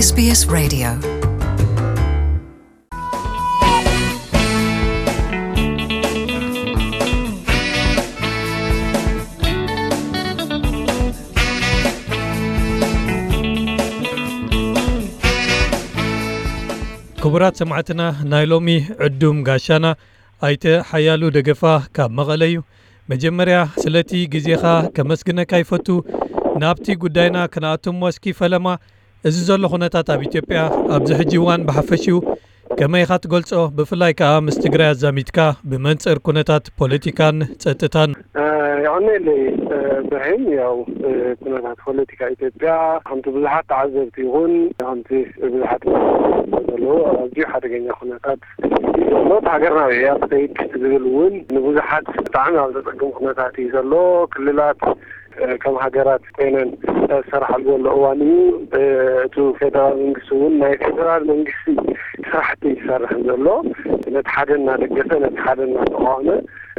S B S Radio. ክቡራት ሰማዕትና፣ ናይ ሎሚ ዕዱም ጋሻና ኣይተ ሓያሉ ደገፋ ካብ መቐለ እዩ። መጀመርያ ስለቲ ግዜኻ ከመስግነካ ይፈቱ። ናብቲ ጉዳይና ክንኣቱ እሞ እስኪ ፈለማ፣ እዚ ዘሎ ኩነታት ኣብ ኢትዮጵያ ኣብዚ ሕጂ እዋን ብሓፈሽኡ ከመይ ኢኻ ትገልጾ? ብፍላይ ከኣ ምስ ትግራይ ኣዛሚድካ ብመንጽር ኩነታት ፖለቲካን ጸጥታን። እ፣ የቐንየለይ፣ እ፣ ብርሂን። ያው፣ እ፣ ኩነታት ፖለቲካ ኢትዮጵያ ከምቲ ብዙሓት ተዓዘብቲ ይኹን ከምቲ ብዙሓት ዘለዉ ኣዝዩ ሓደገኛ ኩነታት እዩ ዘሎ። እቲ ሃገርና እያ ትኸይድ ዝብል እውን ንብዙሓት ብጣዕሚ ኣብ ዘጸግም ኩነታት እዩ ዘሎ። ክልላት እ፣ ከም ሃገራት ኮይነን ዝሰርሓሉ ዘሎ እዋን እዩ። እ፣ እቲ ፌደራል መንግስቲ እውን ናይ ፌደራል መንግስቲ ስራሕቲ እዩ ዝሰርሕ ዘሎ። ነቲ ሓደ እናደገፈ፣ ነቲ ሓደ እናተቃወመ፣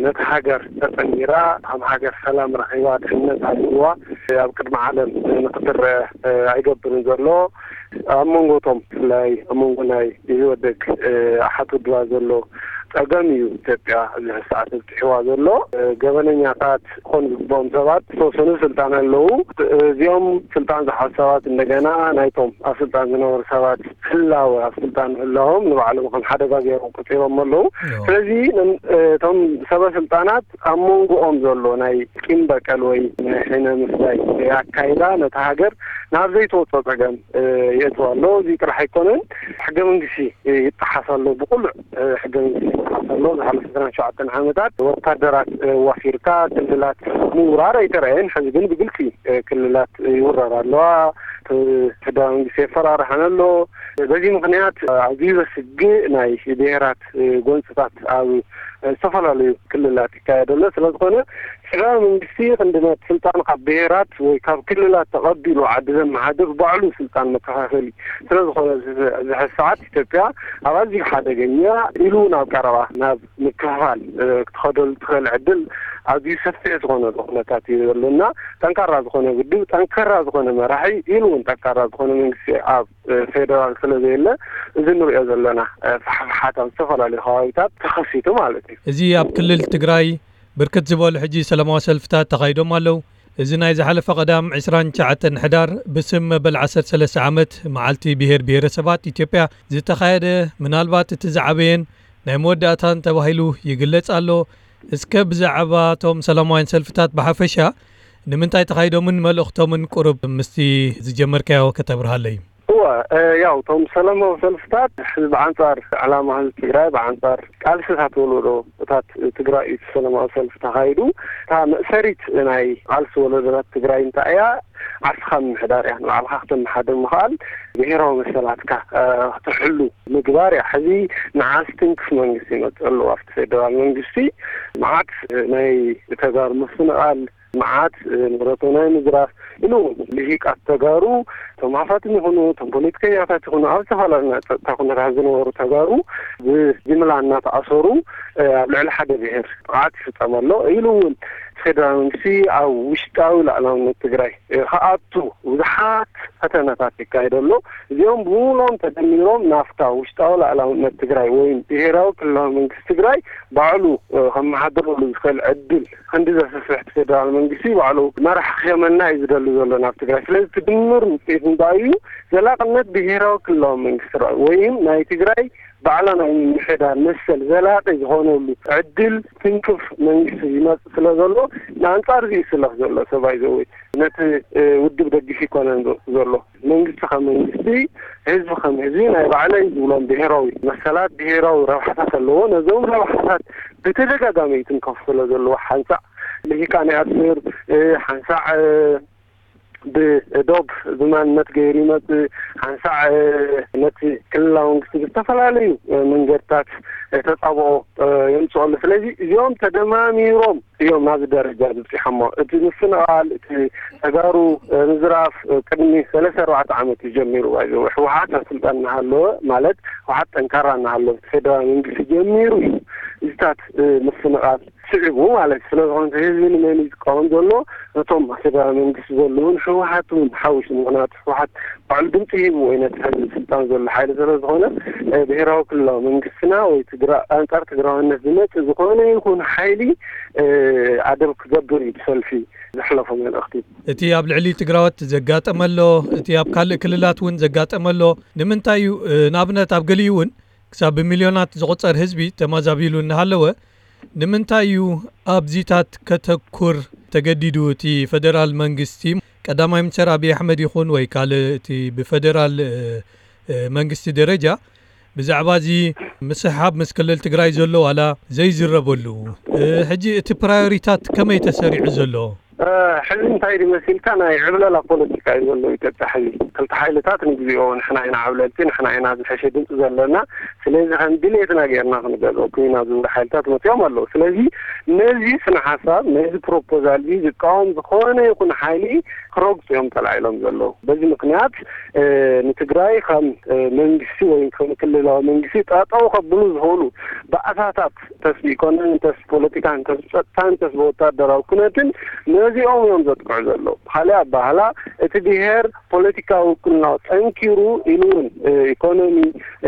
ነቲ ሃገር ተጠሚራ፣ ከም ሃገር ሰላም ረኺባ፣ ድሕነት ሃልይዋ፣ ኣብ ቅድሚ ዓለም ንክትረአ፣ እ፣ ኣይገብርን ዘሎ። ኣብ መንጎ እቶም ብፍላይ ኣብ መንጎ ናይ ኢህወደግ፣ እ፣ ኣሓት ውድባት ዘሎ ጸገም እዩ ኢትዮጵያ ኣብዚ ሰዓት ኣብጺሕዋ ዘሎ። እ፣ ገበነኛታት ክኾኑ ዝግብኦም ሰባት ዝተወሰኑ ስልጣን ኣለዉ። እዚኦም ስልጣን ዝሓዙ ሰባት እንደገና ናይቶም ኣብ ስልጣን ዝነበሩ ሰባት ህላወ፣ ኣብ ስልጣን ምህላዎም ንባዕሎም ከም ሓደጋ ገይሮም ቆጺሮም ኣለዉ። እዎ። ስለዚ ንም-፣ እ፣ እቶም ሰበ ስልጣናት ኣብ መንጎኦም ዘሎ ናይ ቂም በቀል ወይ ናይ ሕነ ምፍዳይ ኣካይዳ ነታ ሃገር ናብ ዘይተወጾ ጸገም፣ እ፣ የእትዋ ኣሎ። እዚ ጥራሕ ኣይኮነን፣ ሕገ መንግስቲ፣ እ፣ ይጠሓስ ኣሎ። ብቁሉዕ፣ እ፣ ሕገ መንግስቲ ይጠሓስ ኣሎ። ዝሓለፈ ዕስራን ሸውዓተን ዓመታት ወታደራት፣ እ፣ ዋፊርካ ክልላት ምውራር ኣይተረኣየን። ሕዚ ግን ብግልጺ፣ እ፣ ክልላት ይውረራ ኣለዋ። እ፣ ሕገ መንግስቲ የፈራርሐን ኣሎ። በዚ ምኽንያት፣ እ፣ ኣዝዩ ዘስግእ ናይ ብሄራት፣ እ፣ ጎንፅታት ኣብ፣ እ፣ ዝተፈላለዩ ክልላት ይካየድ ኣሎ። ስለ ዝኾነ፣ ስርዓት መንግስቲ ክንዲ ነቲ ስልጣን ካብ ብሄራት ወይ ካብ ክልላት ተቐቢሉ ዓዲ ዘመሓድር ባዕሉ ስልጣን መከፋፈሊ ስለ ዝኾነ፣ እዚ፣ እዚ ሰዓት ኢትዮጵያ ኣብ ኣዝዩ ሓደገኛ ኢሉ ናብ ቀረባ፣ ናብ ምክፍፋል፣ እ፣ ክትኸደሉ ትኽእል ዕድል ኣዝዩ ሰፊሕ ዝኾነ ኩነታት እዩ ዘሎ እና፣ ጠንካራ ዝኾነ ውድብ፣ ጠንካራ ዝኾነ መራሒ፣ ኢሉ እውን ጠንካራ ዝኾነ መንግስቲ ኣብ፣ እ፣ ፌደራል ስለ ዘየለ፣ እዚ ንሪኦ ዘለና፣ እ፣ ፋሕፋሓት ኣብ ዝተፈላለዩ ከባቢታት ተኸሲቱ ማለት እዩ። እዚ ኣብ ክልል ትግራይ ብርክት ዝበሉ ሕጂ ሰላማዊ ሰልፍታት ተኻይዶም ኣለዉ። እዚ ናይ ዝሓለፈ ቀዳም ዕስራን ትሽዓተን ሕዳር ብስም መበል ዓሰርተ ሰለስተ ዓመት መዓልቲ ብሄር ብሄረሰባት ኢትዮጵያ ዝተኻየደ፣ ምናልባት እቲ ዝዓበየን ናይ መወዳእታን ተባሂሉ ይግለጽ ኣሎ። እስከ ብዛዕባ እቶም ሰላማውያን ሰልፍታት ብሓፈሻ ንምንታይ ተኻይዶምን መልእኽቶምን ቁሩብ ምስቲ ዝጀመርካዮ ከተብርሃለይ? እወ፣ እ፣ ያው፣ እቶም ሰላማዊ ሰልፍታት፣ ህዝቢ ብኣንጻር ዕላማ ህዝቢ ትግራይ፣ ብኣንጻር ቃልስታት ወለዶታት ትግራይ እዩ እቲ ሰላማዊ ሰልፊ ተኻይዱ። እታ መእሰሪት ናይ ቃልሲ ወለዶታት ትግራይ እንታይ እያ? ዓርስኻ ምምሕዳር እያ። ንባዕልኻ ክተመሓድር ምኽኣል፣ ብሄራዊ መሰላትካ፣ እ፣ ክትሕሉ ምግባር እያ። ሕዚ ንዓ ዝትንክፍ መንግስቲ ይመጽእ ኣለዎ። ኣብቲ ፌደራል መንግስቲ መዓት፣ እ፣ ናይ ተጋሩ ምፍንቓል፣ መዓት፣ እ፣ ንብረቶም ናይ ምዝራፍ፣ ኢሉ እውን ልሂቃት ተጋሩ፣ እቶም ሃፋትም ይኹኑ፣ እቶም ፖለቲከኛታት ይኹኑ፣ ኣብ ዝተፈላለዩ ናይ ጸጥታ ኩነታት ዝነበሩ ተጋሩ ብጅምላ እናተኣሰሩ፣ እ፣ ኣብ ልዕሊ ሓደ ብሄር ጥቕዓት ይፍጸም ኣሎ። ኢሉ እውን ፌደራል መንግስቲ ኣብ ውሽጣዊ ሉዓላውነት ትግራይ፣ እ፣ ክኣቱ ብዙሓት ፈተነታት ይካየድ ኣሎ። እዚኦም ብምሉኦም ተደሚሮም ናብታ ውሽጣዊ ሉዓላውነት ትግራይ ወይ ብሄራዊ ክልላዊ መንግስቲ ትግራይ ባዕሉ፣ እ፣ ከመሓድረሉ ዝኽእል ዕድል ክንዲ ዘስፍሕ እቲ ፌደራል መንግስቲ ባዕሉ መራሕ ክሸመና እዩ ዝደሊ ዘሎ ናብ ትግራይ። ስለዚ እቲ ድምር ውፅኢት እንታይ እዩ? ዘላቕነት ብሄራዊ ክልላዊ መንግስቲ ትግራይ ወይም ናይ ትግራይ ባዕላ ናይ ምምሕዳር መሰል ዘላቂ ዝኾነሉ ዕድል ትንክፍ መንግስቲ ይመፅእ ስለ ዘሎ፣ ንኣንፃር እዚ ይስለፍ ዘሎ ሰብኣይ ዘወይ ነቲ፣ እ፣ ውድብ ደግፍ ይኮነን ዞ-፣ ዘሎ። መንግስቲ ከም መንግስቲ፣ ህዝቢ ከም ህዝቢ ናይ ባዕለይ ዝብሎም ብሄራዊ መሰላት፣ ብሄራዊ ረብሓታት ኣለዎ። ነዞም ረብሓታት ብተደጋጋሚ ይትንከፉ ስለ ዘለዉ፣ ሓንሳእ ልሂቃን ይኣስር፣ እ፣ ሓንሳእ፣ እ፣ ብዶብ ብማንነት ገይሩ ይመጽእ፣ ሓንሳእ፣ እ፣ ነቲ ክልላዊ መንግስቲ ብዝተፈላለዩ፣ እ፣ መንገድታት፣ እ፣ ተጻብኦ፣ እ፣ የምጽኦ ኣሎ። ስለዚ እዚኦም ተደማሚሮም እዮም ናብዚ ደረጃ ዝበጺሖሞ። እቲ ምፍንቓል፣ እቲ ተጋሩ፣ እ፣ ምዝራፍ፣ እ፣ ቅድሚ ሰለስተ ኣርባዕተ ዓመት እዩ ጀሚሩ። ባይዘወ ህወሓት ኣብ ስልጣን እናሃለወ፣ ማለት ህወሓት ጠንካራ እናሃለወ፣ እቲ ፌደራል መንግስቲ ጀሚሩ እዩ እዚታት፣ እ፣ ምፍንቓል ስዒቡ ማለት እዩ። ስለዝኾነ ህዝቢ ንመን እዩ ዝቃወም ዘሎ? ነቶም ኣብ ፌደራል መንግስቲ ዘለውን ህወሓት እውን ሓዊሱ። ምኽንያቱ ህወሓት ባዕሉ ድምፂ ሂቡ ወይ ነቲ ሕዚ ስልጣን ዘሎ ሓይሊ ስለዝኾነ፣ እ፣ ብሄራዊ ክልላዊ መንግስትና ወይ ትግራ-፣ ኣንጻር ትግራዋይነት ዝመጽእ ዝኾነ ይኹን ሓይሊ፣ እ፣ ኣደብ ክገብር እዩ ብሰልፊ ዘሕለፎ መልእኽቲ። እቲ ኣብ ልዕሊ ትግራዎት ዘጋጠመ ኣሎ፣ እቲ ኣብ ካልእ ክልላት እውን ዘጋጠመ ኣሎ። ንምንታይ እዩ፣ እ፣ ንኣብነት ኣብ ገሊኡ እውን ክሳብ ብሚልዮናት ዝቑጸር ህዝቢ ተማዛቢሉ እናሃለወ፣ ንምንታይ እዩ ኣብዚታት ከተኩር ተገዲዱ? እቲ ፈደራል መንግስቲ፣ ቀዳማይ ሚኒስተር ኣብይ ኣሕመድ ይኹን ወይ ካልእ እቲ ብፈደራል፣ እ፣ እ፣ መንግስቲ ደረጃ ብዛዕባ እዚ ምስሕሓብ ምስ ክልል ትግራይ ዘሎ ዋላ ዘይዝረበሉ፣ እ፣ ሕጂ እቲ ፕራዮሪታት ከመይ ተሰሪዑ ዘሎ? እ፣ ሕዚ እንታይ ድዩ መሲልካ፣ ናይ ዕብለላ ፖለቲካ እዩ ዘሎ ኢትዮጵያ ሕዚ። ክልተ ሓይልታት ንግዚኦ ንሕና ኢና ዓብለልቲ፣ ንሕና ኢና ዝሐሸ ድምፂ ዘለና፣ ስለዚ ከም ድሌትና ጌርና ክንገዝኦ ኩና ዝብሉ ሓይልታት መፂኦም ኣለዉ። ስለዚ ነዚ ስነ ሓሳብ፣ ነዚ ፕሮፖዛል እዚ ዝቃወም ዝኾነ ይኹን ሓይሊ ክረግፁ እዮም ተላዒሎም ዘለዉ። በዚ ምኽንያት፣ እ፣ ንትግራይ ከም፣ እ፣ መንግስቲ ወይ ከም ክልላዊ መንግስቲ ጠጠው ከብሉ ዝኽእሉ ባእታታት፣ እንተስ ብኢኮኖሚ፣ እንተስ ብፖለቲካ፣ እንተስ ብፀጥታ፣ እንተስ ብወታደራዊ ኩነትን ነዚኦም እዮም ዘጥቅዑ ዘለዉ። ብኻሊእ ኣባህላ እቲ ብሄር ፖለቲካዊ ውክልናኡ ጠንኪሩ ኢሉ እውን፣ እ፣ ኢኮኖሚ፣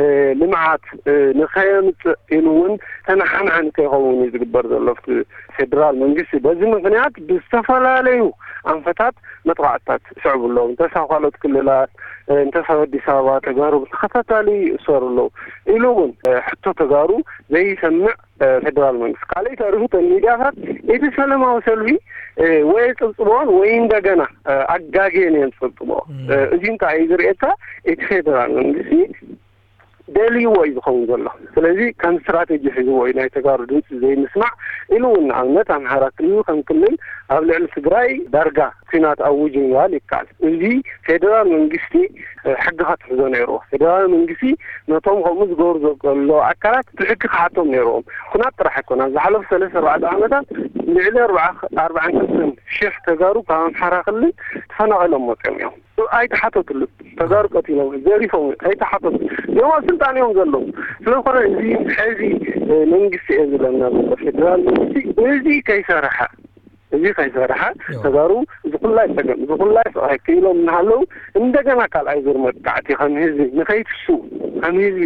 እ፣ ልምዓት፣ እ፣ ንኸየምፅእ ኢሉ እውን ተነሓናሕን ከይኸውን እዩ ዝግበር ዘሎ ኣብቲ ፌደራል መንግስቲ። በዚ ምኽንያት ብዝተፈላለዩ ኣንፈታት መጥቓዕትታት ይስዕቡ ኣለዉ። እንተስ ኣብ ካልኦት ክልላት፣ እ፣ እንተስ ኣብ ኣዲስ ኣበባ ተጋሩ ብተኸታታሊ ይእሰሩ ኣለዉ። ኢሉ እውን፣ እ፣ ሕቶ ተጋሩ ዘይሰምዕ፣ እ፣ ፌደራል መንግስቲ። ካልእ ተሪፉ እተን ሚድያታት እቲ ሰላማዊ ሰልፊ፣ እ፣ ወይ ጽብጽቦን ወይ እንደገና፣ እ፣ ኣጋግየን እየን ዝጽብጽቦ። እም። እ፣ እዚ እንታይ እዩ ዝርእየካ? እቲ ፌደራል መንግስቲ ደልይዎ እዩ ዝኸውን ዘሎ። ስለዚ ከም ስትራቴጂ ሒዝዎ እዩ ናይ ተጋሩ ድምፂ ዘይምስማዕ። ኢሉ እውን ንኣብነት ኣምሓራ ክልል ከም ክልል ኣብ ልዕሊ ትግራይ ዳርጋ ኲናት ኣውጅ ምባል ይከኣል። እዚ ፌደራል መንግስቲ፣ እ፣ ሕጊ ከትሕዞ ነይርዎ። ፌደራል መንግስቲ ነቶም ከምኡ ዝገብሩ ዘለዉ ኣካላት ብሕጊ ክሓቶም ነይርዎም። ኩናት ጥራሕ ኣይኮነ። ኣብ ዝሓለፉ ሰለስተ ኣርባዕተ ዓመታት ልዕሊ ኣርባዓ፣ ኣርባዓን ክልተን ሽሕ ተጋሩ ካብ ኣምሓራ ክልል ተፈናቒሎም መፅኦም እዮም። ኣይተሓተትሉን። ተጋሩ ቀቲሎም፣ ዘሪፎም፣ ኣይተሓተቱ። እዚኦም ኣብ ስልጣን እዮም ዘለዉ። ስለዝኾነ እዚ ሕዚ፣ እ፣ መንግስቲ እየ ዝብለና ዘሎ፣ ፌደራል መንግስቲ እዚ ከይሰርሐ፣ እዚ ከይሰርሐ፣ እዎ። ተጋሩ እዚ ኩላይ ፀገም፣ እዚ ኩላይ ስቓይ ክኢሎም እናሃለዉ፣ እንደገና ካልኣይ ዙር መጥቃዕቲ ከም ህዝቢ ንኸይትስኡ፣ ከም ህዝቢ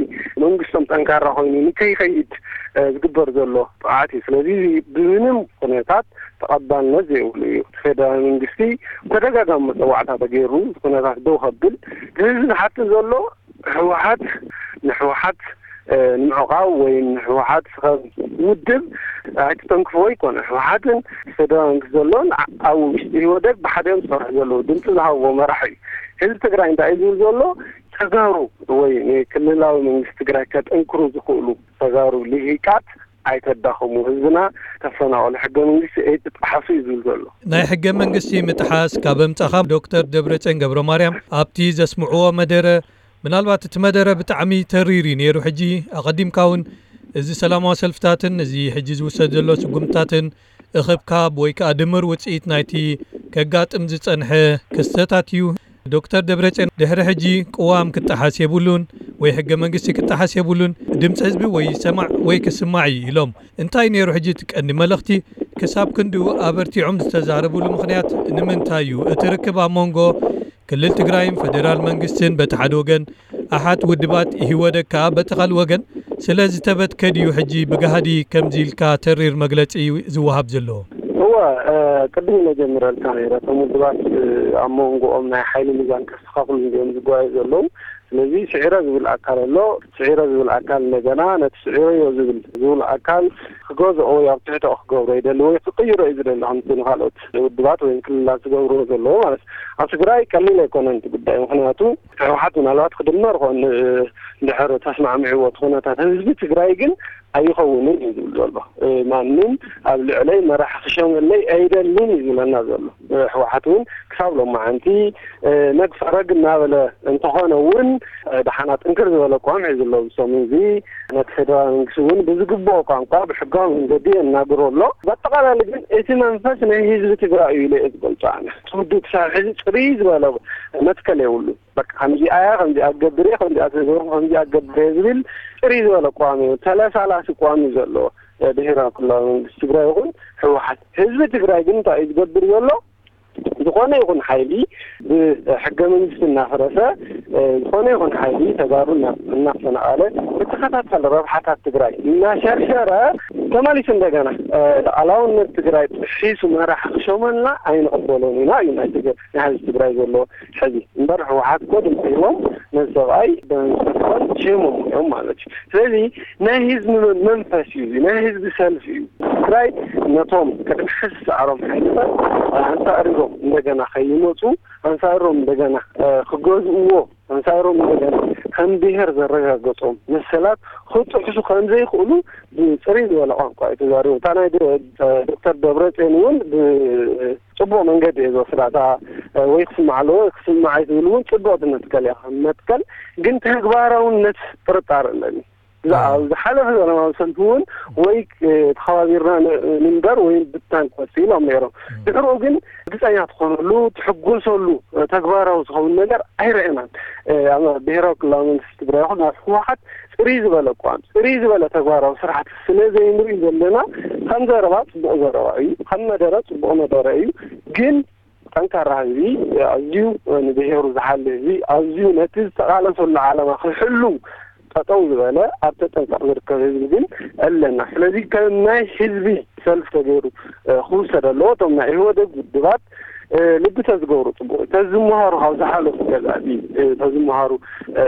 መንግስቶም ጠንካራ ኮይኑ ንከይኸይድ፣ እ፣ ዝግበር ዘሎ ጥቕዓት እዩ። ስለዚ እዚ ብምንም ኩነታት ተቐባልነት ዘይብሉ እዩ። እቲ ፌደራል መንግስቲ ተደጋጋሚ መፀዋዕታ ተገይሩ፣ እዚ ኩነታት ደው ከብል፣ እቲ ህዝቢ ዝሓትት ዘሎ ህወሓት ንህወሓት፣ እ፣ ንምዕቃብ ወይ ንህወሓት ከም ውድብ ኣይትተንክፎ ኣይኮነ። ህወሓትን ፌደራል መንግስቲ ዘሎን ኣ-፣ ኣብ ውሽጢ ኢህወደግ ብሓደ እዮም ዝሰርሑ ዘለዉ። ድምፂ ዝሃብዎ መራሒ እዩ። ህዝቢ ትግራይ እንታይ እዩ ዝብል ዘሎ? ተጋሩ ወይ ንክልላዊ መንግስቲ ትግራይ ከጠንክሩ ዝኽእሉ ተጋሩ ልሂቃት ኣይተዳኽሙ፣ ህዝብና ተፈናቐሉ፣ ሕገ መንግስቲ ኣይትጠሓሱ እዩ ዝብል ዘሎ። ናይ ሕገ መንግስቲ ምጥሓስ ካብ ኣምጻኻ ዶክተር ደብረጽዮን ገብረ ማርያም ኣብቲ ዘስምዕዎ መደረ፣ ምናልባት እቲ መደረ ብጣዕሚ ተሪር እዩ ነይሩ። ሕጂ ኣቐዲምካ እውን እዚ ሰላማዊ ሰልፍታትን እዚ ሕጂ ዝውሰድ ዘሎ ስጉምትታትን እኽብካብ ወይ ከኣ ድምር ውጽኢት ናይቲ ከጋጥም ዝጸንሐ ክስተታት እዩ። ዶክተር ደብረጽዮን ድሕሪ ሕጂ ቅዋም ክጠሓስ የብሉን ወይ ሕገ መንግስቲ ክጠሓስ የብሉን፣ ድምፂ ህዝቢ ወይ ይሰማዕ ወይ ክስማዕ እዩ ኢሎም። እንታይ ነይሩ ሕጂ እቲ ቀንዲ መልእኽቲ? ክሳብ ክንድኡ ኣበርቲዖም ዝተዛረብሉ ምኽንያት ንምንታይ እዩ? እቲ ርክብ ኣብ መንጎ ክልል ትግራይን ፈደራል መንግስትን በቲ ሓደ ወገን፣ ኣሓት ውድባት ኢህወደግ ከኣ በቲ ካልእ ወገን ስለ ዝተበትከ ድዩ ሕጂ ብጋህዲ ከምዚ ኢልካ ተሪር መግለጺ ዝወሃብ ዘሎ? እወ፣ እ፣ ቅድም ኢለ ጀሚረልካ ነይረ። እቶም ውድባት፣ እ፣ ኣብ መንጎኦም ናይ ሓይሊ ሚዛን ከስተኻኽሉ እንዲኦም ዝጓዩ ዘለዉ። ስለዚ ስዒረ ዝብል ኣካል ኣሎ። ስዒረ ዝብል ኣካል እንደገና ነቲ ስዒረዮ ዝብል፣ ዝብል ኣካል ክገዝኦ ወይ ኣብ ትሕቶ ክገብሮ ይደሊ ወይ ክቅይሮ እዩ ዝደሊ፣ ከምቲ ንኻልኦት ውድባት ወይ ክልላት ዝገብርዎ ዘለዉ ማለት እዩ። ኣብ ትግራይ ቀሊል ኣይኮነን እቲ ጉዳይ፣ ምኽንያቱ ህወሓት ምናልባት ክድመር ይኾን፣ እ፣ እንድሕር ተስማዕሚዕዎ እቲ ኩነታት። ህዝቢ ትግራይ ግን ኣይኸውንን እዩ ዝብል ዘሎ። እ፣ ማንም ኣብ ልዕለይ መራሒ ክሸመለይ ኣይደልን እዩ ዝብለና ዘሎ። እ፣ ህወሓት እውን ክሳብ ሎማዓንቲ፣ እ፣ ነግ ፈረግ እናበለ እንተኾነ እውን፣ እ፣ ደሓና ጥንክር ዝበለ ኣቋም ሒዙ ኣሎ። ብሰሙን እዚ ነቲ ፌደራል መንግስቲ እውን ብዝግብኦ ቋንቋ ብሕጋዊ መንገዲ የናግሮ ኣሎ። በጠቓላሊ ግን እቲ መንፈስ ናይ ህዝቢ ትግራይ እዩ ኢለ እየ ዝገልጾ ኣነ። እቲ ውድብ ክሳብ ሕዚ ፅርይ ዝበለ መትከል የብሉን። በቃ ከምዚኣ እያ፣ ከምዚኣ ክገብር እየ፣ ከምዚኣ ተገብሩ፣ ከምዚኣ ክገብር እየ ዝብል ፅርይ ዝበለ ኣቋም እዩ፣ ተለሳላሲ ኣቋም እዩ ዘለዎ። ብሄራዊ ክልላዊ መንግስቲ ትግራይ ይኹን ህወሓት። ህዝቢ ትግራይ ግን እንታይ እዩ ዝገብር ዘሎ? ዝኾነ ይኹን ሓይሊ ብሕገ መንግስቲ እናፈረሰ፣ ዝኾነ ይኹን ሓይሊ ተጋሩ እናፈነቓለ፣ ብተኸታታሊ ረብሓታት ትግራይ እናሸርሸረ፣ ተመሊሱ እንደገና ሉዓላውነት ትግራይ ጥሒሱ መራሒ ክሾመልና ኣይንቕበሎን ኢና እዩ ናይ ትግ-፣ ናይ ህዝቢ ትግራይ ዘሎ ሕዚ። እምበር ህወሓት እኮ ድምፂ ሂቦም ነዚ ሰብኣይ ብመንግስቲ ሸይሞም እዮም ማለት እዩ። ስለዚ ናይ ህዝቢ መ-፣ መንፈስ እዩ እዚ፣ ናይ ህዝቢ ሰልፊ እዩ። ትግራይ ነቶም ቅድሚ ሕዚ ዝሰዓሮም ሓይልታት ኣንፃር ኢሮም እንደገና ከይመፁ፣ ኣንፃር ኢሮም እንደገና ክገዝእዎ፣ ኣንፃር ኢሮም እንደገና ከም ብሄር ዘረጋገፆም መሰላት ክጥሕሱ ከም ዘይኽእሉ ብፅርይ ዝበለ ቋንቋ እዩ ተዛሪቡ። እታ ናይ ዶ-፣ ዶክተር ደብረፅዮን እውን ብፅቡቕ መንገዲ እየ ዝወስዳ። እታ ወይ ክስማዕ ኣለዎ ወይ ክስማዕ እዩ ትብል እውን ፅቡቕቲ መትከል እያ። ከም መትከል ግን ተግባራውነት ጥርጣረ ኣለኒ። ዝሓለፈ ሰላማዊ ሰልፊ እውን ወይ ተኸባቢርና ንንበር ወይ ብታን ክወፅእ ኢሎም ነይሮም። ድሕርኡ ግን ግፀኛ ትኾነሉ፣ ትሕጎሰሉ፣ ተግባራዊ ዝኸውን ነገር ኣይረአናን። ኣብ ብሄራዊ ክልላዊ መንግስቲ ትግራይ ይኹን ኣብ ህወሓት ፅርይ ዝበለ እኳ፣ ፅርይ ዝበለ ተግባራዊ ስራሕቲ ስለ ዘይንርኢ ዘለና፣ ከም ዘረባ ፅቡቕ ዘረባ እዩ፣ ከም መደረ ፅቡቕ መደረ እዩ። ግን ጠንካራ ህዝቢ፣ ኣዝዩ ንብሄሩ ዝሓሊ ህዝቢ፣ ኣዝዩ ነቲ ዝተቓለሰሉ ዓላማ ክሕሉ ጠጠው ዝበለ ኣብ ተጠንቀቕ ዝርከብ ህዝቢ ግን ኣለና። ስለዚ ከም ናይ ህዝቢ ሰልፍ ተገይሩ ክውሰድ ኣለዎ። እቶም ናይ ኢህወደግ ውድባት ልቢ ተዝገብሩ ፅቡቕ እዩ። ተዝምሃሩ ካብ ዝሓለፉ ገዛእቲ ተዝምሃሩ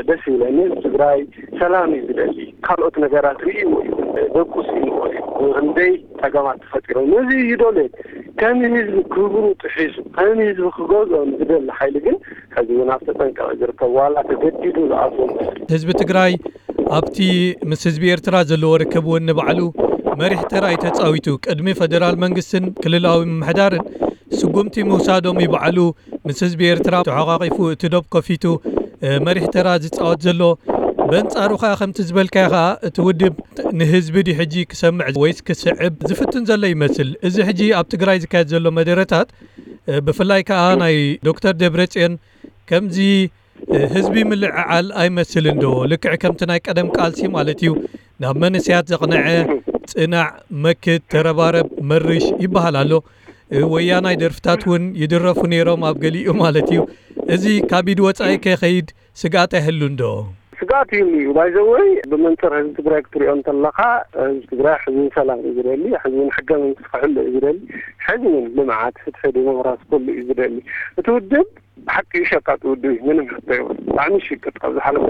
ደስ ይብለኒ። ትግራይ ሰላም እዩ ዝደሊ። ካልኦት ነገራት ርእይዎ እዩ፣ ደቁስ እዩ እዩ። ክንደይ ፀገማት ተፈጢሮም ነዚ ይደልዮ። ከም ህዝቢ ክብሩ ጥሒሱ ከም ህዝቢ ክገዝኦ ንዝደሊ ሓይሊ ግን ሕዚ እውን ኣብ ተጠንቀቐ ዝርከብ ዋላ ተገዲዱ ዝኣትዎ መስሉ። ህዝቢ ትግራይ ኣብቲ ምስ ህዝቢ ኤርትራ ዘለዎ ርክብ እውን ንባዕሉ መሪሕ ተራ እዩ ተፃዊቱ። ቅድሚ ፈደራል መንግስትን ክልላዊ ምምሕዳርን ስጉምቲ ምውሳዶም ይባዕሉ ምስ ህዝቢ ኤርትራ ተሓቋቂፉ እቲ ዶብ ከፊቱ መሪሕ ተራ ዝፃወት ዘሎ። በንፃሩ ከዓ ከምቲ ዝበልካዮ ከዓ እቲ ውድብ ንህዝቢ ድዩ ሕጂ ክሰምዕ ወይስ ክስዕብ ዝፍትን ዘሎ ይመስል። እዚ ሕጂ ኣብ ትግራይ ዝካየድ ዘሎ መደረታት ብፍላይ ከዓ ናይ ዶክተር ደብረፅዮን ከምዚ ህዝቢ ምልዕዓል ኣይመስልን ዶ? ልክዕ ከምቲ ናይ ቀደም ቃልሲ ማለት እዩ። ናብ መንእሰያት ዘቕነዐ ጽናዕ፣ መክት፣ ተረባረብ፣ መርሽ ይበሃል ኣሎ። ወያናይ ደርፍታት እውን ይድረፉ ነይሮም ኣብ ገሊኡ ማለት እዩ። እዚ ካብ ኢድ ወጻኢ ከይከይድ ስግኣት ኣይህሉን ዶ? ስግኣት ይህሉ እዩ። ባይዘወይ ብመንፅር ህዝቢ ትግራይ ክትሪኦ እንተለኻ ህዝቢ ትግራይ ሕዝብን ሰላም እዩ ዝደሊ፣ ሕዝብን ሕገ መንግስቲ ክሕሉ እዩ ዝደሊ፣ ሕዝብን ልምዓት፣ ፍትሒ፣ ዲሞክራሲ ኩሉ እዩ ዝደሊ። እቲ ውድብ ብሓቂ ሸቃጥ ውድብ እዩ፣ ምንም ሕቶ የብሉ። ብጣዕሚ ሽቅጥ ኣብ ዝሓለፈ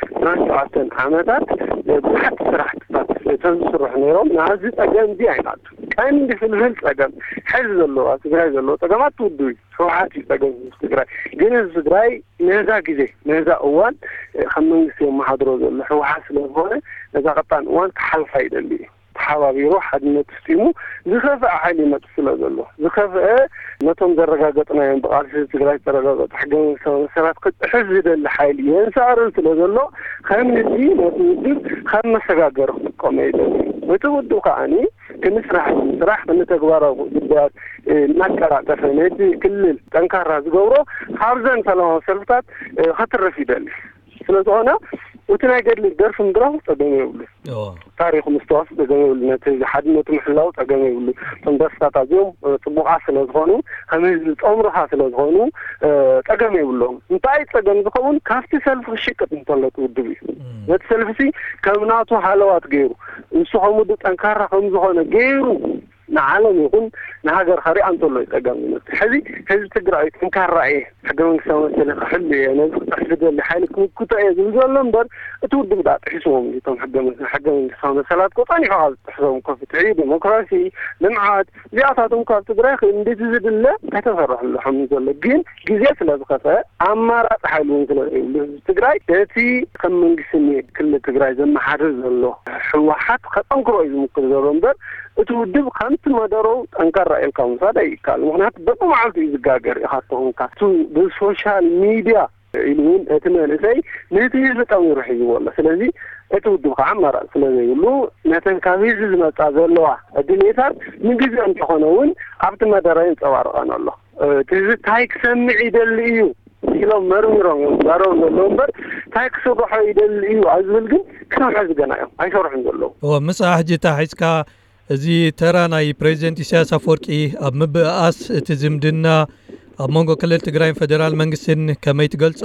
ዕስራን ሸውዓተን ዓመታት ብዙሓት ስራሕትታት ተዝስርሑ ነይሮም። ናዚ ፀገም እዚ ኣይናቱ ቀንዲ ፍልፍል ፀገም ሕዚ ዘለዎ ትግራይ ዘለዎ ፀገማት ውድብ እዩ። ህወሓት እዩ ፀገም ህዝቢ ትግራይ። ግን ህዝቢ ትግራይ ነዛ ግዜ ነዛ እዋን ከም መንግስቲ የመሓድሮ ዘሎ ህወሓት ስለዝኾነ ነዛ ቀጣን እዋን ክሓልፋ ይደሊ እዩ። ተሓባቢሩ ሓድነት ስጢሙ ዝኸፍአ ሓይሊ ይመፅእ ስለ ዘሎ ዝኸፍአ ነቶም ዘረጋገጥናዮም ብቃልሲ ትግራይ ዝተረጋገጡ ሕገ መንግስታዊ መሰላት ክጥሕስ ዝደሊ ሓይሊ የንሳእርን ስለ ዘሎ ከም ህዝቢ ነቲ ውድብ ከም መሰጋገሪ ክጥቀሞ ይደሊ። እቲ ውድብ ከዓኒ ክምስራሕ ስራሕ ንተግባራዊ ጉዳያት እናቀላጠፈ ነቲ ክልል ጠንካራ ዝገብሮ ካብዘን ሰላማዊ ሰልፍታት ከትርፍ ይደሊ። ስለዝኾነ እቲ ናይ ገድሊ ደርፊ ምድራፉ ፀገም የብሉ። ታሪኹ ምስተዋሱ ፀገም የብሉ። ነቲ ሓድነቱ ምሕላው ፀገም የብሉ። እቶም ደርፍታት ኣዝዮም ፅቡቓት ስለዝኾኑ ከም ህዝቢ ዝጠምሩኻ ስለዝኾኑ ፀገም የብሎም። እንታይ ፀገም ዝኸውን ካብቲ ሰልፊ ክሽቅጥ እንተሎ እቲ ውድብ እዩ። ነቲ ሰልፊ ሲ ከም ናቱ ሃለዋት ገይሩ ንሱ ከም ውድብ ጠንካራ ከም ዝኾነ ገይሩ ንዓለም ይኹን ንሃገር ከሪኣ እንተሎ እዩ ፀገም ዝመስል። ሕዚ ህዝቢ ትግራይ ጠንካራ እየ፣ ሕገ መንግስታዊ መሰለ ክሕሉ እየ፣ ነዚ ክጥሕስ ዝደሊ ሓይሊ ክምክቶ እየ ዝብል ዘሎ እምበር እቲ ውድብ ዳ ጥሒስዎም እዩ። እቶም ሕገ መ-፣ ሕገ መንግስታዊ መሰላት እኮ ፀኒሑ ካብ ዝጥሕሶም እኮ ፍትሒ፣ ዲሞክራሲ፣ ልምዓት እዚኣታቶም ካብ ትግራይ ክንድቲ ዝድለ ከተሰርሐሉ ሓሚ ዘሎ ግን ግዜ ስለ ዝኸፈ ኣማራፂ ሓይሊ እውን ስለ ዘይብሉ ህዝቢ ትግራይ ነቲ ከም መንግስቲ ክልል ትግራይ ዘመሓድር ዘሎ ህወሓት ከጠንክሮ እዩ ዝምክር ዘሎ እምበር እቲ ውድብ ከምቲ መደረው ጠንካራ ኢልካ ምውሳድ ኣይከኣል። ምክንያቱ በብመዓልቱ እዩ ዝጋገር ኢኻ ተኾንካ። እቱ ብሶሻል ሚድያ ኢሉ እውን እቲ መንእሰይ ነቲ ህዝቢ ጠሚሩ ሒዝዎ ኣሎ። ስለዚ እቲ ውድብ ከዓ ኣማራፂ ስለ ዘይብሉ ነተን ካብ ህዝቢ ዝመፃ ዘለዋ ድሌታት ንግዜ እንተኾነ እውን ኣብቲ መደረ የንፀባርቐን ኣሎ። እቲ ህዝቢ እንታይ ክሰምዕ ይደሊ እዩ ኢሎም መርሚሮም እዮም ዝዛረቡ ዘለዉ እምበር እንታይ ክስርሖ ይደሊ እዩ ኣብ ዝብል ግን ክሳብ ሕዚ ገና እዮም ኣይሰርሑን ዘለዉ። እወ፣ ምስኣ ሕጂ እታ ሒዝካ እዚ ተራ ናይ ፕሬዚደንት ኢሳያስ ኣፈወርቂ ኣብ ምብእኣስ እቲ ዝምድና ኣብ መንጎ ክልል ትግራይን ፌደራል መንግስትን ከመይ ትገልጾ?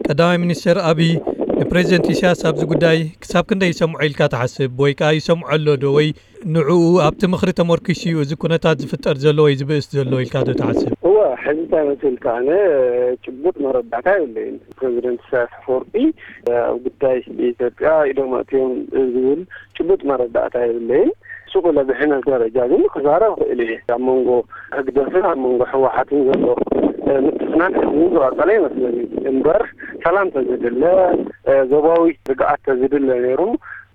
ቀዳማይ ሚኒስትር ኣብይ ንፕሬዚደንት ኢሳያስ ኣብዚ ጉዳይ ክሳብ ክንደይ ይሰምዖ ኢልካ ትሓስብ? ወይ ከኣ ይሰምዖ ኣሎ ዶ? ወይ ንዕኡ ኣብቲ ምኽሪ ተመርኪሱ እዩ እዚ ኩነታት ዝፍጠር ዘሎ ወይ ዝብእስ ዘሎ ኢልካ ዶ ትሓስብ? እወ፣ ሕዚ እንታይ መሲልካ፣ ኣነ ጭቡጥ መረዳእታ የብለይን። ፕሬዚደንት ኢሳያስ ኣፈወርቂ ኣብ ጉዳይ ኢትዮጵያ ኢዶም ኣእትዮም ዝብል ጭቡጥ መረዳእታ የብለይን። ሱቕ ኢለ ብሕነት ደረጃ ግን ክዛረብ ክእል እየ። ኣብ መንጎ ህግደፍን ኣብ መንጎ ህወሓትን ዘሎ ምትፍናን ሕዚ ዝቐጸለ ይመስለኒ። እምበር ሰላም ተዝድለ፣ ዞባዊ ርግኣት ተዝድለ ነይሩ፣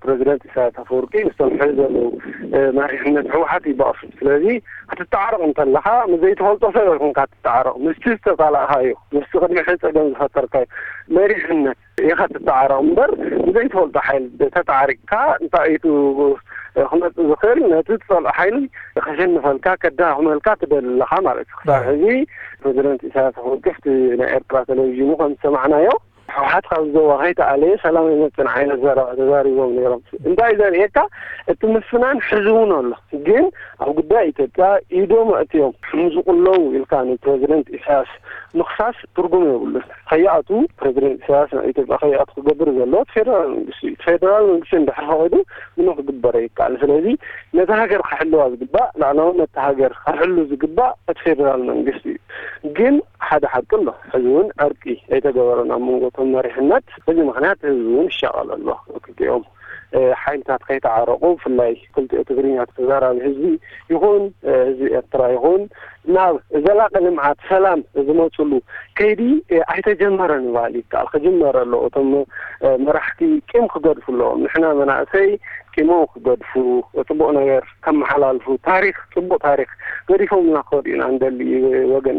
ፕረዚደንት ኢሳያስ ኣፈወርቂ ምስቶም ሕዚ ዘለዉ መሪሕነት ህወሓት ይበኣሱ። ስለዚ ክትተዓረቕ እንተለኻ ምስ ዘይትፈልጦ ሰብ ኣይኮንካ ትተዓረቕ፣ ምስቲ ዝተጻላእካዮ፣ ምስቲ ቅድሚ ሕዚ ጸገም ዝፈጠርካዮ መሪሕነት ኢኻ ትተዓረቕ እምበር፣ ብዘይትፈልጦ ሓይሊ ተተዓሪቕካ እንታይ እዩ ክመጽእ ዝኽእል? ነቲ ትጸልኦ ሓይሊ ከሸንፈልካ፣ ከዳኽመልካ ትደሊ ኣለኻ ማለት እዩ። ክሳብ ሕዚ ፕረዚደንት ኢሳያስ ኣፈወርቂ ኣብቲ ናይ ኤርትራ ቴሌቪዥን ከም ዝሰማዕናዮ፣ ህወሓት ካብ ዞባ ከይተኣለየ ሰላም ኣይመጽእን ዓይነት ዘረባ ተዛሪቦም ነይሮም። እንታይ ዘርእየካ? እቲ ምፍናን ሕዚ እውን ኣሎ። ግን ኣብ ጉዳይ ኢትዮጵያ ኢዶም ኣእትዮም ሕምዝቑ ኣለዉ ኢልካ ንፕረዚደንት ኢሳያስ ምኽሳስ ትርጉም የብሉን። ከይኣቱ፣ ፕረዚደንት ኢሳያስ ናብ ኢትዮጵያ ከይኣቱ ክገብር ዘለዎ እቲ ፌደራል መንግስቲ እዩ። እቲ ፌደራል መንግስቲ እንድሕር ፈቒዱ ምንም ክግበር ኣይከኣልን። ስለዚ ነታ ሃገር ክሕልዋ ዝግባእ፣ ላዕላውነት እታ ሃገር ክሕሉ ዝግባእ እቲ ፌደራል መንግስቲ እዩ። ግን ሓደ ሓቂ ኣሎ። ሕዚ እውን ዕርቂ ኣይተገበረን ኣብ መንጎ እቶም መሪሕነት። በዚ ምኽንያት ህዝቢ እውን ይሻቐል ኣሎ። ክልቲኦም፣ እ፣ ሓይልታት ከይተዓረቑ፣ ብፍላይ ክልቲኡ ትግርኛ ተዛራቢ ህዝቢ ይኹን፣ እ፣ ህዝቢ ኤርትራ ይኹን፣ ናብ ዘላቂ ልምዓት፣ ሰላም ዝመፅሉ ከይዲ፣ እ፣ ኣይተጀመረን ምባል ይከኣል። ክጅመር ኣለዎ። እቶም፣ እ፣ መራሕቲ ቂም ክገድፉ ኣለዎም። ንሕና መናእሰይ ቂሞም ክገድፉ፣ ጽቡቕ ነገር ከመሓላልፉ፣ ታሪኽ፣ ጽቡቕ ታሪኽ ገዲፎምልና ክኸዱ ኢና እንደሊ፣ ወገን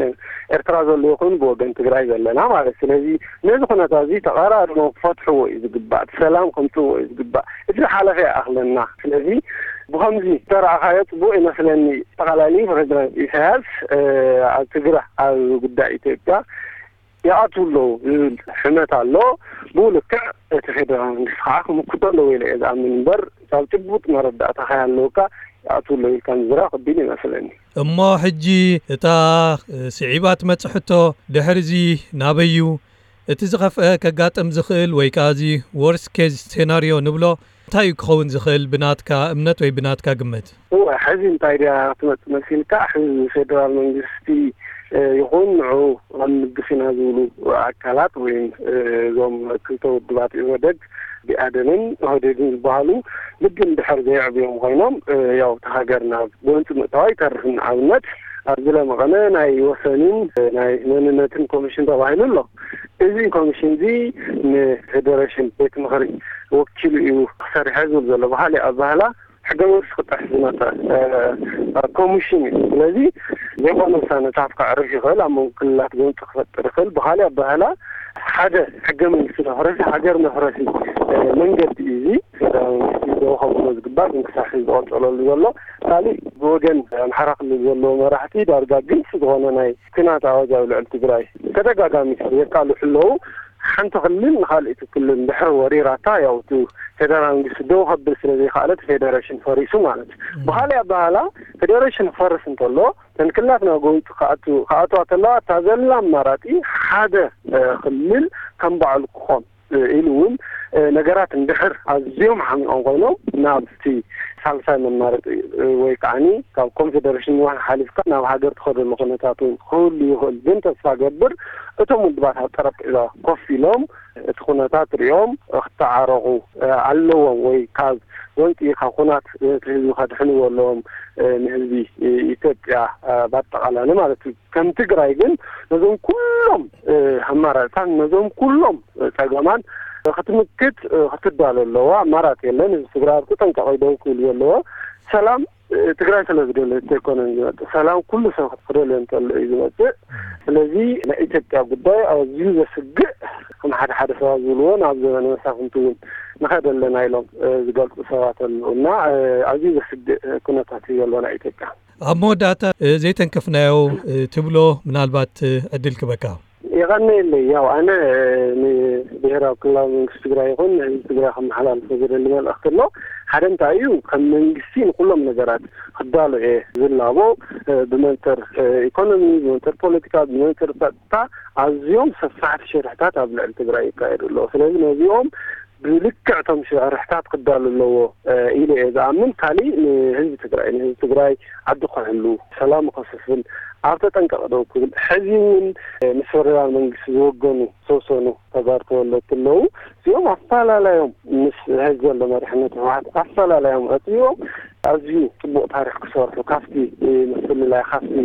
ኤርትራ ዘሎ ይኹን ብወገን ትግራይ ዘለና ማለት። ስለዚ ነዚ ኩነታት እዚ ተቐራሪቦም ክፈትሕዎ እዩ ዝግባእ፣ እቲ ሰላም ከምጽእዎ እዩ ዝግባእ። እቲ ዝሓለፈ ይኣኽለና። ስለዚ ብኸምዚ ዝተረኣኻዮ ጽቡቕ ይመስለኒ። ኣጠቓላሊ ፕረዚደንት ኢሳያስ፣ እ፣ ኣብ ትግራ ኣብ ጉዳይ ኢትዮጵያ ይኣትዉ ኣለዉ ዝብል ሕመት ኣሎ። ብኡ ልክዕ እቲ ፌደራል መንግስቲ ከዓ ክምክቶ ኣለዎ ኢለ እየ ዝኣምን እምበር፣ ካብ ጭቡጥ መረዳእታ ከይሃለወካ ይኣትዉ ኣለዉ ኢልካ ምዝራብ ከቢድ ይመስለኒ። እሞ ሕጂ እታ፣ እ፣ ስዒባ ትመጽእ ሕቶ፣ ድሕሪ እዚ ናበይ እዩ? እቲ ዝኸፍአ ከጋጥም ዝኽእል ወይ ከኣ እዚ ወርስት ኬዝ ሴናርዮ ንብሎ እንታይ እዩ ክኸውን ዝኽእል ብናትካ እምነት ወይ ብናትካ ግምት? እወ፣ ሕዚ እንታይ ድያ ክትመጽእ መሲልካ? ሕዚ ፌደራል መንግስቲ፣ እ፣ ይኹን ንዑ ክንምግስ ኢና ዝብሉ ኣካላት ወይም፣ እ፣ እዞም ክልተ ውድባት ኢህወደግ፣ ብኣዴንን ኦህዴድን ዝበሃሉ ልቢ እንድሕር ዘየዕብዮም ኮይኖም፣ እ፣ ያው እታ ሃገር ናብ ጎንፂ ምእታዋ ይተርፍ። ንኣብነት ኣብዚ ለመቐነ ናይ ወሰንን፣ እ፣ ናይ መንነትን ኮሚሽን ተባሂሉ ኣሎ። እዚ ኮሚሽን እዚ ንፌደሬሽን ቤት ምኽሪ ወኪሉ እዩ ክሰርሐ ዝብል ዘሎ። ብኻሊእ ኣባህላ ሕገ መንግስቲ ክጥሕስ ዝመፀ፣ እ፣ ኮሚሽን እዩ። ስለዚ ዘይኮነ ውሳነታት ከዕርፍ ይኽእል፣ ኣብ መንጎ ክልላት ጎንፂ ክፈጥር ይኽእል። ብኻሊእ ኣባህላ ሓደ ሕገ መንግስቲ መፍረሲ፣ ሃገር መፍረሲ፣ እ፣ መንገዲ እዩ። እዚ ፌደራል መንግስቲ ደው ከብሎ ዝግባእ ግን ክሳብ ሕዚ ዝቐፀለሉ ዘሎ። ካሊእ ብወገን ኣምሓራ ክልል ዘለዉ መራሕቲ ዳርጋ ግልፂ ዝኾነ ናይ ኲናት ኣዋጅ ኣብ ልዕሊ ትግራይ ተደጋጋሚ የቃልሑ ኣለዉ። ሓንቲ ክልል ንኻልእቲ ክልል እንድሕር ወሪራታ፣ ያው እቲ ፌደራል መንግስቲ ደው ከብል ስለ ዘይከኣለ እቲ ፌደሬሽን ፈሪሱ ማለት እዩ። ብኻሊእ ኣበሃላ ፌደሬሽን ክፈርስ እንተሎ፣ እተን ክልላት ናብ ጎንፂ ክኣቱ-፣ ክኣትዋ ከለዋ፣ እታ ዘላ ኣማራፂ ሓደ፣ እ፣ ክልል ከም ባዕሉ ክኾን፣ እ፣ ኢሉ እውን፣ እ፣ ነገራት እንድሕር ኣዝዮም ሓሚቖም ኮይኖም፣ ናብ እቲ ሳልሳይ መማረፂ፣ እ፣ ወይ ከዓኒ ካብ ኮንፌደሬሽን ዋን ሓሊፍካ ናብ ሃገር ትኸደሉ ኩነታት እውን ክህሉ ይኽእል። ግን ተስፋ ገብር እቶም ውድባት ኣብ ጠረጴዛ ኮፍ ኢሎም እቲ ኩነታት ሪኦም ክተዓረቑ፣ እ፣ ኣለዎም ወይ ካብ ጎንፂ ካብ ኩናት እቲ ህዝቢ ከድሕንዎ ኣለዎም፣ እ፣ ንህዝቢ ኢትዮጵያ፣ እ፣ ባጠቓላሊ ማለት እዩ። ከም ትግራይ ግን ነዞም ኩሎም፣ እ፣ ኣማራፅታት፣ ነዞም ኩሎም፣ እ፣ ፀገማት ክትምክት፣ እ፣ ክትዳሎ ኣለዋ። ኣማራፂ የለን። ህዝቢ ትግራይ ኣብ ተጠንቀቐ ደው ክብል ዘለዎ። ሰላም፣ እ፣ ትግራይ ስለ ዝደለየት ኣይኮነን ዝመፅእ። ሰላም ኩሉ ሰብ ክደልዮ እንተሎ እዩ ዝመፅእ። ስለዚ ናይ ኢትዮጵያ ጉዳይ ኣዝዩ ዘስግእ፣ ከም ሓደ ሓደ ሰባት ዝብልዎ ናብ ዘበነ መሳፍንቲ እውን ንኸደ ኣለና ኢሎም፣ እ፣ ዝገልፁ ሰባት ኣለዉ እና፣ እ፣ ኣዝዩ ዘስግእ፣ እ፣ ኩነታት እዩ ዘሎ ናይ ኢትዮጵያ። ኣብ መወዳእታ፣ እ፣ ዘይተንከፍናዮ፣ እ፣ ትብሎ ምናልባት፣ እ፣ ዕድል ክበካ። የቐነየለይ። ያው ኣነ ንብሔራዊ ክልላዊ መንግስቲ ትግራይ ይኹን ንህዝቢ ትግራይ ከመሓላልፎ ዝደሊ መልእኽቲ ኣሎ። ሓደ እንታይ እዩ፣ ከም መንግስቲ ንኩሎም ነገራት ክዳሎ እየ ዝላቦ። ብመንፅር ኢኮኖሚ፣ ብመንፅር ፖለቲካ፣ ብመንፅር ጸጥታ ኣዝዮም ሰፋሕቲ ሽርሕታት ኣብ ልዕሊ ትግራይ ይካየዱ ኣለዉ። ስለዚ ነዚኦም ብልክዕ እቶም ሽርሕታት ክዳሉ ኣለዎ ኢለ እየ ዝኣምን። ካሊእ ንህዝቢ ትግራይ፣ ንህዝቢ ትግራይ ዓዲ ክሕሉ፣ ሰላም ከስፍን ኣብ ተጠንቀቕ ደው ክብል፣ ሕዚ እውን ምስ ፈደራል መንግስቲ ዝወገኑ ዝተወሰኑ ተጋሩ ተወለድቲ ኣለዉ። እዚኦም ኣፈላላዮም ምስ ሕዚ ዘሎ መሪሕነት ህወሓት ኣፈላላዮም ኣፅቢቦም ኣዝዩ ፅቡቕ ታሪኽ ክሰርሑ፣ ካብቲ ምፍልላይ፣ ካብቲ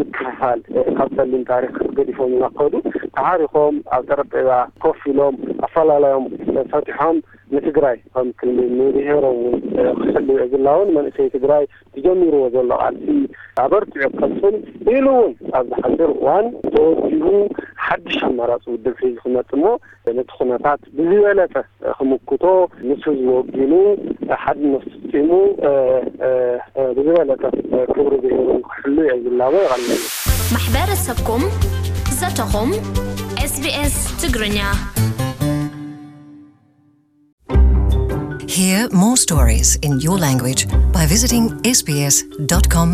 ምክፍፋል፣ ካብ ፀሊም ታሪኽ ገዲፎም እናኸዱ ተዓሪኾም ኣብ ጠረጴዛ ኮፍ ኢሎም ኣፈላላዮም ፈቲሖም ንትግራይ ከም ክልል ንብሔሮም እውን ክሕልው ዝላውን መንእሰይ ትግራይ ዝጀሚርዎ ዘሎ ቃልሲ ኣበርቲዑ ክቐፅል ኢሉ እውን ኣብ ዝሓፅር እዋን ተወዲቡ ሓድሽ ኣማራፂ ውድብ ሒዙ ክመፅእ እሞ ነቲ ኩነታት ብዝበለፀ ክምክቶ ምስ ህዝቢ ወጊኑ ሓድነት ፍፂሙ ብዝበለፀ ክብሪ ብሄሩ ክሕሉ እየ ዝላቦ። የቐንየለይ። ማሕበረሰብኩም ዘተኹም ኤስቢኤስ ትግርኛ። Hear more stories in your language by visiting sbs.com.au.